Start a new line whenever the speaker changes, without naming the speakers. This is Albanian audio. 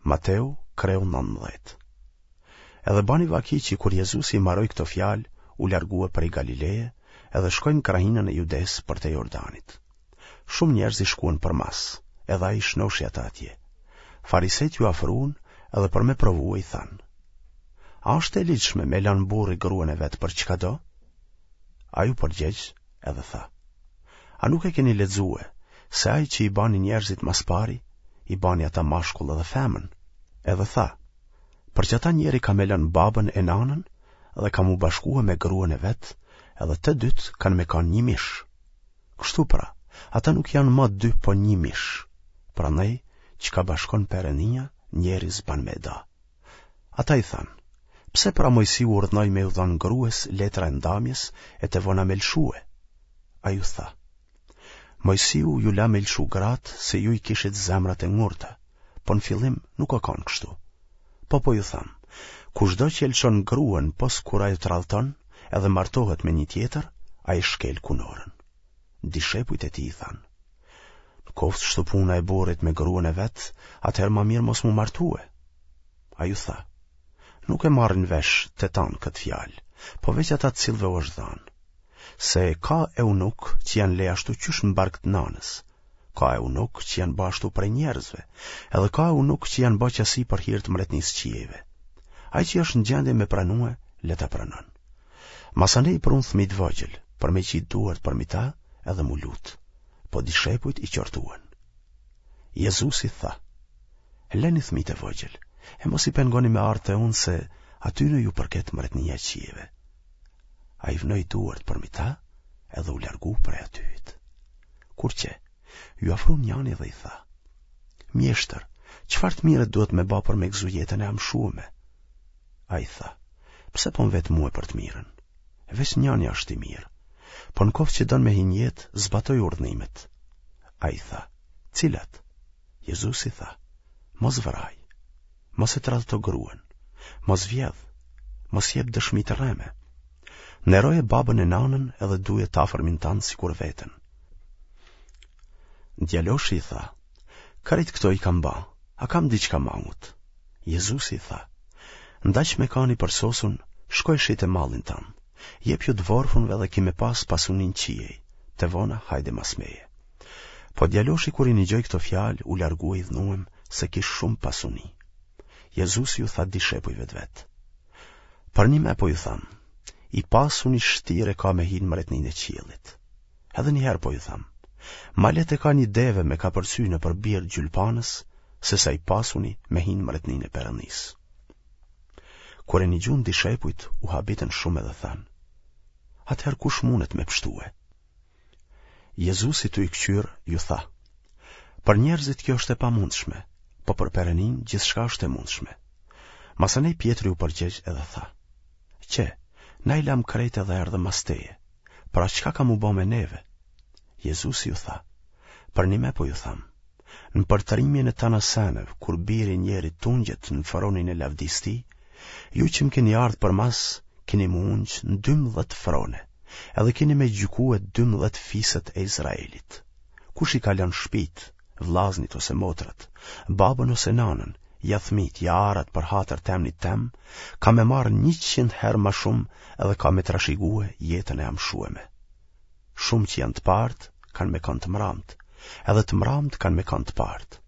Mateu, kreu 19. Edhe bani vaki që kur Jezusi i maroi këto fjalë, u largue prej Galileje edhe shkoi në krahinën e Judesë përtej Jordanit. Shumë njerëz i shkuen përmas, edhe ai i shnoshi ata atje. Farisejtë iu afrun edhe për me provue i thanë. A është e ligjshme me lanë burri gruan e vet për çkado? Ai u përgjegj edhe tha. A nuk e keni lexue se ai që i bani njerëzit ma s'pari, i bani ata mashkull edhe femën? Edhe tha, për qata njeri ka me lënë babën e nanën dhe ka m'u bashkue me gruan e vet, edhe të dytë kanë me kanë një mish. Kështu pra, ata nuk janë ma dy po një mish. Prandaj, çka bashkon Perënia, njeri s'ban me da. Ata i thanë, pse pra Mojsiu urdhnoi me iu dhanë grues letra e ndamjes e të vona me lëshue? Ai u tha, Mojsiu ju la me lëshu gratë se ju i kishit zemrat e ngurta, po në fillim nuk ka kanë kështu. Po po ju tham, kushdo që e lëshon gruan pos kur ajo tradhton edhe martohet me një tjetër, ai shkel kunorën. Dishepujt e tij i thanë, në koftë kështu puna e burrit me gruan e vet, atëherë ma mirë mos m'u martue. Ai u tha, nuk e marrin vesh të tanë këtë fjalë, po veç ata të cilëve u është dhanë. Se ka eunukë që janë le ashtu qysh në bark të nanës, ka eunukë që janë ba ashtu prej njerëzve, edhe ka eunukë që janë ba qasi për hir të mretnisë qiejve. Ai që është në gjendje me pranue, le ta pranon. Masanej i prunë fëmijë të vogjël, për me qitë duart përmi ta edhe m'u lutë, po dishepujt i qortuen. Jezusi tha, leni fëmijët e vogjël, e mos i pengoni me ardhë te unë se atyne ju përket mretnia e qiejve. Ai vnoi duart përmi ta edhe u largu prej atyhit. Kur qe, iu afru njani dhe i tha, Mjeshtër, çfarë të mire duhet me ba për me gëzu jetën e amshueme? Ai tha, pse po më vet mue për të mirën? Veç njani është i mirë, po në koftë që don me hi n'jetë, zbatoj urdhnimet. Ai tha, cilat? Jezusi tha, mos vraj, mos e tradhto gruen, mos vjedh, mos jep dëshmi të rreme. Nderoje babën e nanën edhe duje të afërmin tand sikur veten. Djaloshi i tha, krejt këto i kam ba, a kam diçka mangut? Jezusi i tha, ndaq me kanë i përsosun, shko e shite mallin tand, jepju të vorfunve dhe ki me pas pasuni n'qiej, të vona hajde mas meje. Po djaloshi kur i nigjoi këto fjalë, u largua i idhnuem se kish shumë pasuni. Jezusi ju tha dishepujve të vet. Përnime po ju tham, i pasuni shtirë e ka me hi në mretninë e qiellit. Edhe një herë po ju tham, ma lehtë e ka një deve me kapërcy nëpër birë gjylpanës, sesa i pasuni me hi në mretninë e Perëndisë. Kur e nigjun dishepujt, u habitën shumë edhe thanë, atëherë kush mundet me pshtue? Jezusi tu i këqyrë, ju tha, Për njerëzit kjo është e pamundshme, po për Perëndinë gjithçka është e mundshme. Masanej Pjetri u përgjegj edhe tha, Qe, na i lamë krejt edhe erdhëm mas teje, pra çka ka m'u bo me neve? Jezusi ju tha, Përnime po ju tham, në përtërimin e tana seneve, kur biri i njerit t'ungjet në fronin e lavdisë tij, ju që më keni ardhë përmas, keni m'u ungj në 12 frone, edhe keni me gjykue 12 fiset e Izraelit. Kush i ka lënë shpit, vllaznit ose motrat, babën ose nanën, ja thmit, ja arat për hatër të emnit tem, ka me marrë 100 herë ma shumë edhe ka me trashigue jetën e amshueme. Shumë që janë të partë, kanë me kanë të mramtë, edhe të mramtë kanë me kanë të partë.